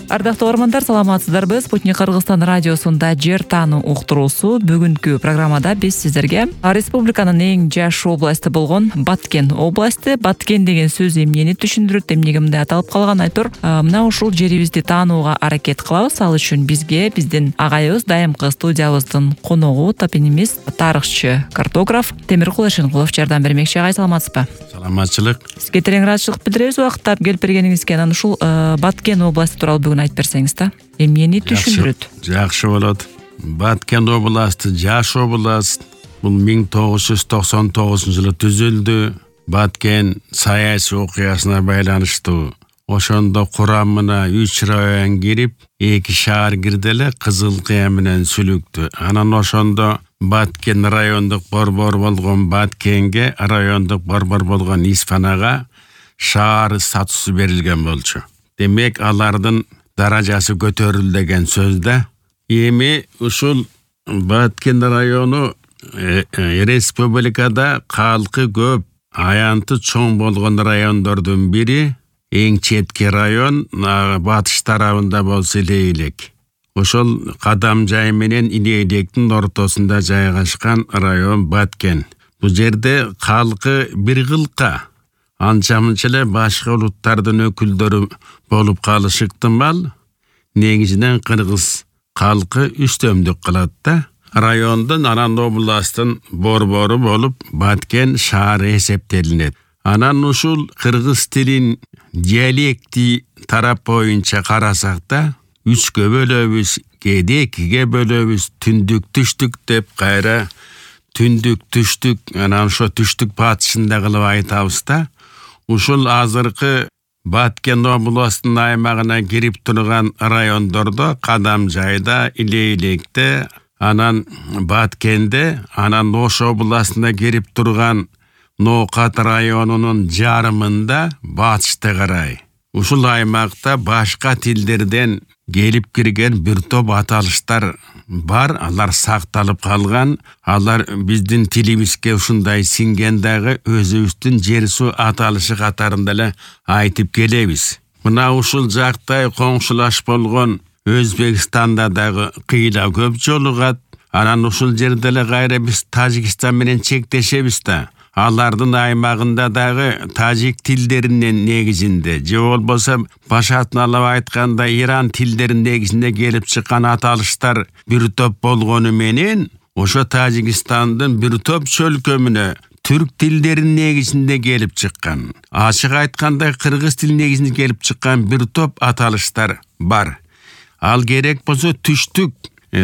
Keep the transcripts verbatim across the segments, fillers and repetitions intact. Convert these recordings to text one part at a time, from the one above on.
Ардактуу угармандар, саламатсыздарбы? Спутник Кыргызстан радиосунда Жер таануу уктуруусу. Бүгүнкү программада биз сиздерге республиканын эң жаш областы болгон Баткен областы, Баткен деген сөз эмнени түшүндүрөт, эмнеге мындай аталып калган айтор, мына ушул жерибизди таанууга аракет кылабыз. Ал үчүн бизге биздин агайыбыз, дайымкы студиябыздын коногу, топонимист, тарыхчы, картограф Темиркул Эшенкулов жардам бермекчи. Агай, саламатсызбы? Саламатчылык. Сизге терең ыраазычылык билдиребиз убакыттап келип бергениңизге. Анан ушул Баткен областы тууралуу бүгүн айтып берсеңиз да. Эмнени түшүндүрөт? Жакшы болот. Баткен областы жаш област. Бул миң тогуз жүз токсон тогузунчу жылы түзүлдү. Баткен саясий окуясына байланыштуу. Ошондо курамына үч район кирип, эки шаар кирди эле, Кызыл Кыя менен Сүлүктү. Анан ошондо Баткен райондук борбор болгон Баткенге, райондук борбор болгон Испанага шаар статусу берилген болчу. Демек, алардын даражасы көтөрүлдү деген сөз да. Эми ушул Баткен району э, э, республикада калкы көп, аянты чоң болгон райондордун бири. Эң четки район батыш тарабында болсо Илей-элек. Ошол Кадам жай менен Илей-электин ортосунда жайгашкан район Баткен. Бул жерде калкы бир кылка, анча-мынча эле башка улуттардын өкүлдөрү болуп калышы ыктымал. Негизинен кыргыз калкы үстөмдүк кылат да. Райондун анан областтын борбору болуп Баткен шаары эсептелинет. Анан ушул кыргыз тилин диалекти тарап боюнча карасак да, үчкө бөлөбүз, кээде экиге бөлөбүз, түндүк түштүк деп кайра түндүк түштүк, анан ошо түштүк батышында кылып айтабыз да. Ушул азыркы Баткен областынын аймагына кирип турган райондордо Кадам жайда, Илей-электе, анан Баткенде, анан Ош областына кирип турган Ноокат районунун жарымында батышты карай. Ушул аймакта башка тилдерден келип кирген бир топ аталыштар бар, алар сакталып калган. Алар биздин тилибизге ушундай сиңген дагы өзүбүздүн жер суу аталышы катарында эле айтып келебиз. Мына ушул жактай коңшулаш болгон Өзбекстанда дагы кыйла көп жолугат. Анан ушул жерде эле кайра биз Тажикстан менен чектешебиз да. Алардын аймагында дагы тажик тилдеринен негизинде, же болбосо башатын алып айтканда Иран тилдеринин негизинде келип чыккан аталыштар бир топ болгону менен, ошо Тажикстандын бир топ чөлкөмүнө түрк тилдеринин негизинде келип чыккан. Ачык айтканда кыргыз тилинин негизинде келип чыккан бир топ аталыштар бар. Ал керек болсо түштүк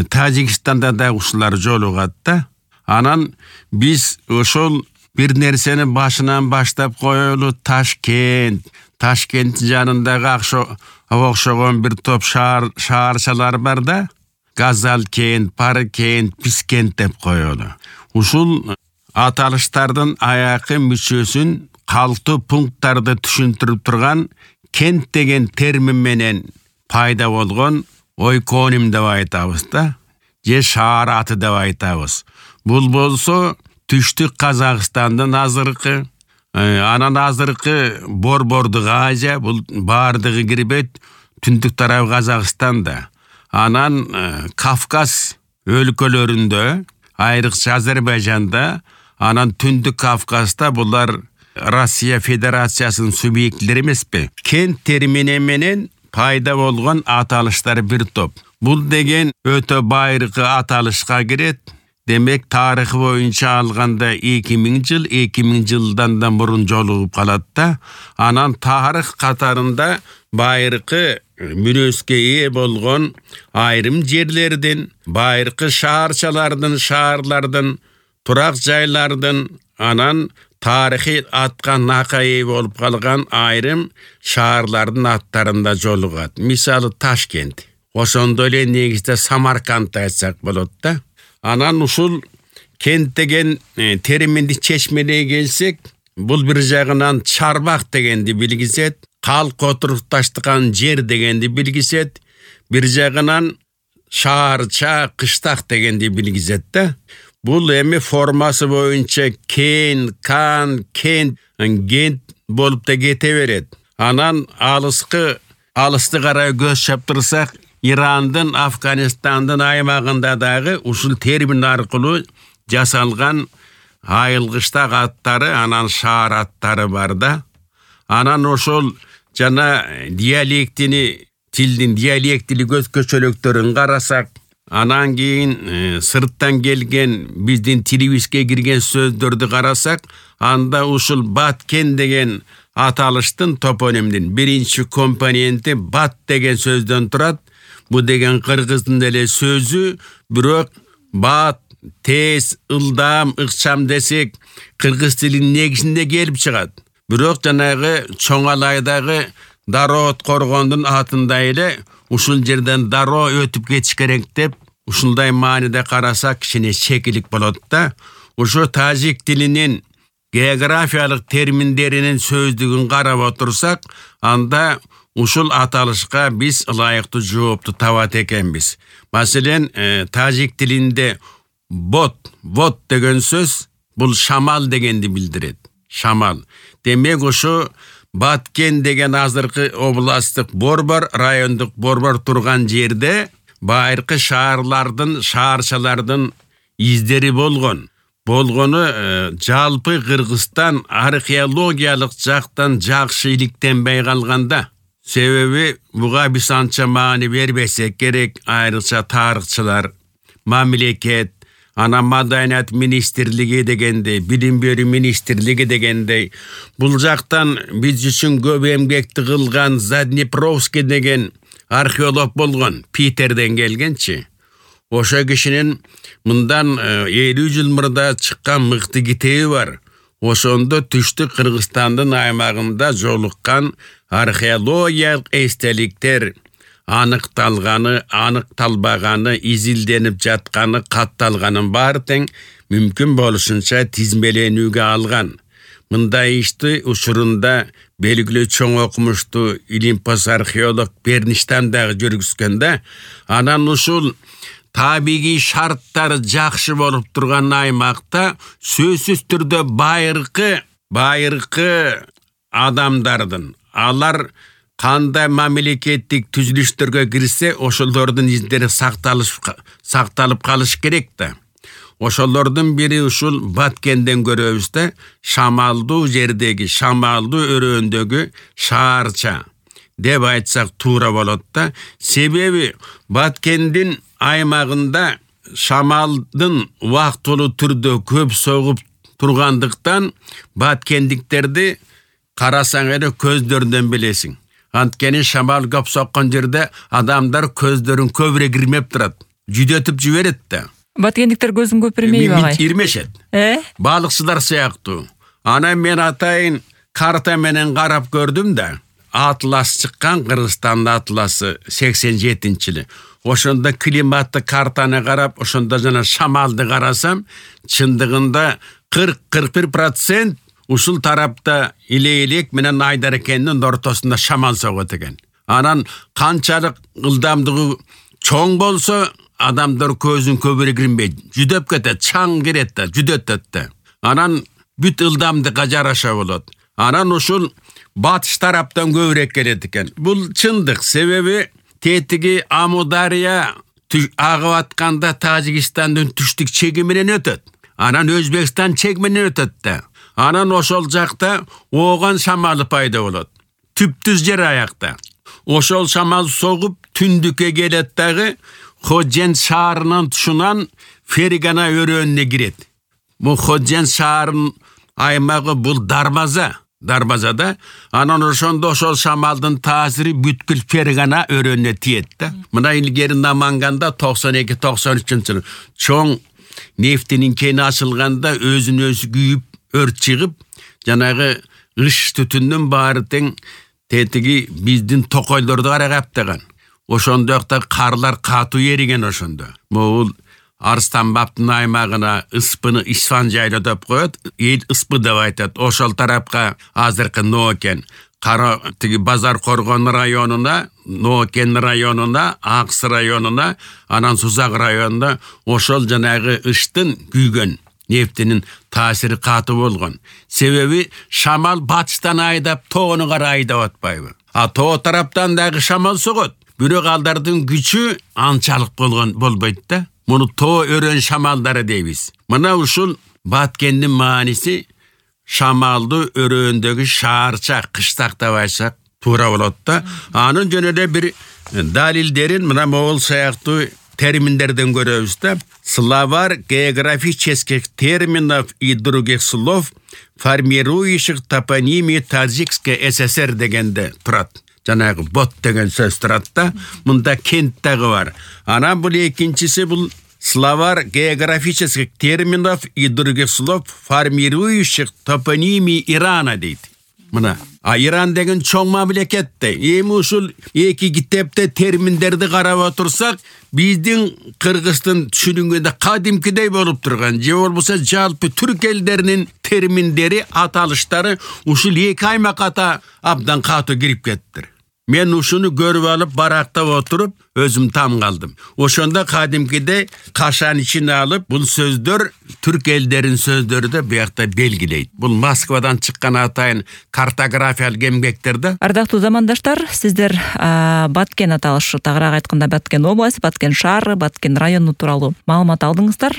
Тажикстанда да ушулар жолугат да. Анан биз ошол бир нерсени башынан баштап коелу. Ташкент, Ташкенттин жанындагы акшо окшогон бир топ шаар шаарчалар бар да. Газалкент, Паркент, Пискент деп коелу. Ушул аталыштардын аякы мүчөсүн калктуу пункттарды түшүндүрүп турган кент деген термин менен пайда болгон ойконим деп айтабыз да. Же шаар аты деп айтабыз. Бул болсо Түштүк Казакстандын азыркы, анан азыркы Борбордук Азия, бул баардыгы кирбейт, түндүк тарабы Казакстанда. Анан Кавказ өлкөлөрүндө, айрыкча Азербайжанда, анан түндүк Кавказда булар Россия Федерациясынын субъектлери эмеспи? Кент термини менен пайда болгон аталыштар бир топ. Бул деген өтө байыркы аталышка кирет. Демек, тарыхы боюнча алганда эки миң жыл, эки миң жылдан да мурун жолугуп калат да. Анан тарых катарында байыркы мүнөзгө ээ болгон айрым жерлердин, байыркы шаарчалардын, шаарлардын, турак жайлардын, анан тарыхый атка нака ээ болуп калган айрым шаарлардын аттарында жолугат. Мисалы Ташкент. Ошондой эле негизде Самарканд айтсак болот да. Анан ушул кент деген э, терминди чечмелей келсек, бул бир жагынан чарбак дегенди билгизет, калк отурукташтырган жер дегенди билгизет, бир жагынан шаарча, кыштак дегенди билгизет да. Бул эми формасы боюнча кен, кан, кент, гент болуп да кете берет. Анан алыскы алысты карай көз чаптырсак, Ирандын, Афганистандын аймагында дагы ушул термин аркылуу жасалган айылгычтак аттары, анан шаар аттары бар да. Анан ошол жана диалектини, тилдин диалектилик өзгөчөлүктөрүн карасак, анан кийин э, сырттан келген биздин тилибизге кирген сөздөрдү карасак, анда ушул баткен деген аталыштын топонимдин биринчи компоненти бат деген сөздөн турат. Бу деген кыргыздын эле сөзү, бирок бат, тез, ылдам, ыкчам десек, кыргыз тилинин негизинде келип чыгат. Бирок жанагы Чоңалайдагы дароо коргондун атында эле ушул жерден дароо өтүп кетиш керек деп, ушундай мааниде карасак кичине чекилик болот да. Ошо тажик тилинин географиялык терминдеринин сөздүгүн карап отурсак, анда ушул аталышка биз ылайыктуу жоопту табат экенбиз. Маселен, э, тажик тилинде бот, вот деген сөз бул шамал дегенди билдирет. Шамал. Демек ошо Баткен деген азыркы областтык борбор, райондук борбор турган жерде байыркы шаарлардын, шаарчалардын издери болгон. Болгону э, жалпы Кыргызстан археологиялык жактан жакшы иликтенбей калганда. Себеби буга биз анча маани бербесек керек, айрыкча тарыхчылар, мамлекет, ана маданият министрлиги дегендей, билим берүү министрлиги дегендей, бул жактан биз үчүн көп эмгекти кылган Заднепровский деген археолог болгон, Питерден келгенчи. Ошо кишинин мындан элүү жыл мурда чыккан мыкты китеби бар. Ошондо түштүк Кыргызстандын аймагында жолуккан археологиялык эстеликтер аныкталганы, аныкталбаганы, изилденип жатканы, катталганын баары тең мүмкүн болушунча тизмеленүүгө алган. Мындай ишти учурунда белгилүү чоң окумуштуу илимпоз археолог Берништам дагы жүргүзгөндө, анан ушул табигий шарттары жакшы болуп турган аймакта сөзсүз түрдө байыркы байыркы адамдардын, алар кандай мамлекеттик түзүлүштөргө кирсе, ошолордун издери сакталып сакталып калыш керек да. Ошолордун бири ушул Баткенден көрөбүз да, шамалдуу жердеги, шамалдуу өрөөндөгү шаарча деп айтсак туура болот да. Себеби Баткендин аймагында шамалдын убактылуу түрдө көп согуп тургандыктан баткендиктерди карасаң эле көздөрүнөн билесиң. Анткени шамал көп соккон жерде адамдар көздөрүн көбүрөөк ирмеп турат, жүдөтүп жиберет да. Баткендиктер көзүн көпүрмейби агай? Ирмешет. Э? Балыкчылар сыяктуу. Анан мен атайын карта менен карап көрдүм да. Атлас чыккан, Кыргызстандын атласы сексен жетинчи жылы. Ошондо климатты картаны карап, ошондо жана шамалды карасам, чындыгында кырк кырк бир процент ушул тарапта Илей-элек менен Айдарекендин ортосунда шамал согот экен. Анан канчалык ылдамдыгы чоң болсо, адамдар көзүн көбүрөөк ирмейт, жүдөп кетет, чаң кирет да, жүдөтөт да. Анан бүт ылдамдыкка жараша болот. Анан ушул батыш тараптан көбүрөөк келет экен. Бул чындык, себеби тетиги Амудария агып атканда Тажикстандын түштүк чеги менен өтөт. Анан Өзбекстан чеги менен өтөт да. Анан ошол жакта ооган шамалы пайда болот. Түптүз жер аякта. Ошол шамал согуп түндүккө келет дагы Ходжен шаарынын тушунан Фергана өрөөнүнө кирет. Бул Ходжен шаарынын аймагы бул дарбаза. Дарбазада, анан ошондо ошол шамалдын таасири бүткүл Фергана өрөөнүнө тиет да. Мына илгери Наманганда токсон эки токсон үчүнчү жылы чоң нефтинин кени ачылганда өзүн өзү күйүп, өрт чыгып, жанагы ыш түтүндүн баары тең тетиги биздин токойлорду карагаптаган. Ошондокта карлар катуу эриген ошондо. Могул Арстан баптын аймагына Ыспыны Исфан жайлы деп коет, эл Ыспы деп айтат. Ошол тарапка азыркы Нокен, Кара тиги Базар Коргон районуна, Нокен районуна, Аксы районуна, анан Сузак районунда ошол жанагы ыштын күйгөн нефтинин таасири катуу болгон. Себеби шамал батыштан айдап, тоonu кара айдап атпайбы. А тоо тараптан дагы шамал согот. Бирок алдардын күчү анчалык болгон болбойт да. Муну тоо өрөн шамалдары дейбиз. Мына ушул Баткендин мааниси шамалды өрөөндөгү шаарча кыштак деп айтсак туура болот да. Анын жөнү эле бир далилдерин мына могул сыяктуу терминдерден көрөбүз да. Словарь географических терминов и других слов, формирующих топонимию Таджикской ССР дегенде турат. Жанагы бот деген сөз турат да. Мында кент дагы бар. Анан бул экинчиси бул словарь географических терминов и других слов, формирующих топонимию Ирана дейт. Мына, а Иран деген чоң мамлекет да. Эми ушул эки китепте терминдерди карап отурсак, биздин Кыргыздын түшүнүгүндө кадимкидей болуп турган, же болбосо жалпы түрк элдеринин терминдери, аталыштары ушул эки аймакка абдан катуу кирип кеттир. Мен ушуну көрүп алып барактап отуруп өзүм там калдым. Ошондо кадимкиде кашан ичине алып бул сөздөр түрк элдеринин сөздөрү да биякта белгилейт. Бул Москвадан чыккан атайын картографиялык эмгектерде. Ардактуу замандаштар, сиздер Баткен аталышы, тагыраак айтканда Баткен области, Баткен шаары, Баткен району тууралуу маалымат алдыңыздар.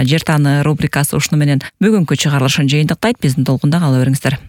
Жер тааны рубрикасы ушуну менен бүгүнкү чыгарылышын жыйынтыктайт. Биздин толкунда кала бериңиздер.